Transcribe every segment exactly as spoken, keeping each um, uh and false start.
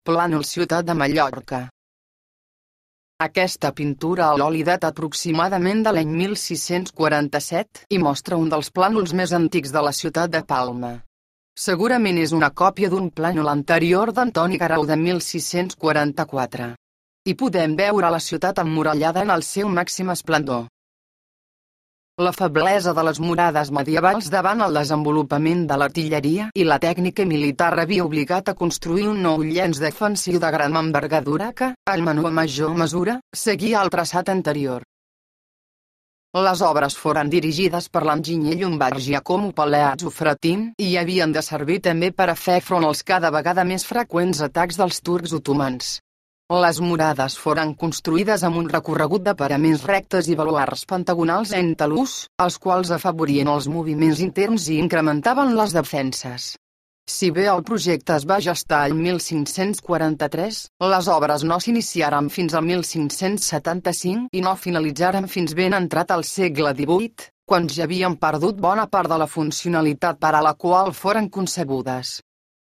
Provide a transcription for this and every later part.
Plànol Ciutat de Mallorca. Aquesta pintura a l'oli data aproximadament de l'any mil sis-cents quaranta-set i mostra un dels plànols més antics de la ciutat de Palma. Segurament és una còpia d'un plànol anterior d'Antoni Guerau de mil sis-cents quaranta-quatre. Hi podem veure la ciutat emmurallada en el seu màxim esplendor. La feblesa de les murades medievals davant el desenvolupament de l'artilleria i la tècnica militar havia obligat a construir un nou llenç defensiu de gran envergadura que, en menor o major mesura, seguia el traçat anterior. Les obres foren dirigides per l'enginyer llombard Giacomo Palazzo Fratin i havien de servir també per a fer front als cada vegada més freqüents atacs dels turcs otomans. Les murades foren construïdes amb un recorregut de paraments rectes i baluards pentagonals en talús, els quals afavorien els moviments interns i incrementaven les defenses. Si bé el projecte es va gestar el mil cinc-cents quaranta-tres, les obres no s'iniciaren fins al mil cinc-cents setanta-cinc i no finalitzaren fins ben entrat al segle divuit, quan ja havien perdut bona part de la funcionalitat per a la qual foren concebudes.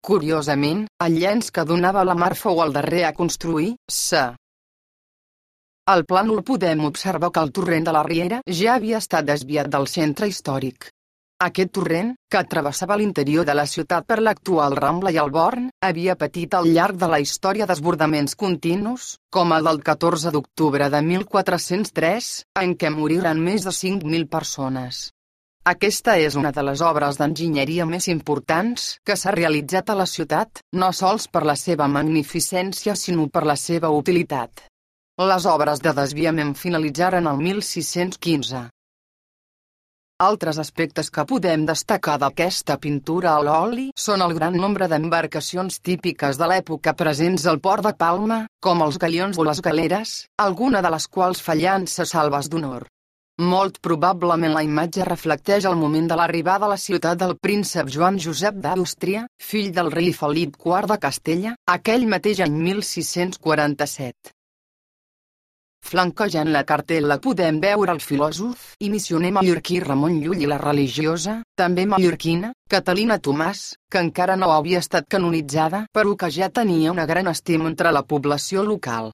Curiosament, el llenç que donava la mar fou el darrer a construir, s. Al plànol podem observar que el torrent de la Riera ja havia estat desviat del centre històric. Aquest torrent, que travessava l'interior de la ciutat per l'actual Rambla i el Born, havia patit al llarg de la història desbordaments continus, com el del catorze d'octubre de mil quatre-cents tres, en què moriren més de cinc mil persones. Aquesta és una de les obres d'enginyeria més importants que s'ha realitzat a la ciutat, no sols per la seva magnificència sinó per la seva utilitat. Les obres de desviament finalitzaren el mil sis-cents quinze. Altres aspectes que podem destacar d'aquesta pintura a l'oli són el gran nombre d'embarcacions típiques de l'època presents al port de Palma, com els galions o les galeres, alguna de les quals fallant se salves d'honor. Molt probablement la imatge reflecteix el moment de l'arribada a la ciutat del príncep Joan Josep d'Àustria, fill del rei Felip quart de Castella, aquell mateix any mil sis-cents quaranta-set. Flanquejant la cartel·la podem veure el filòsof i missioner mallorquí Ramon Llull i la religiosa, també mallorquina, Catalina Tomàs, que encara no havia estat canonitzada però que ja tenia una gran estima entre la població local.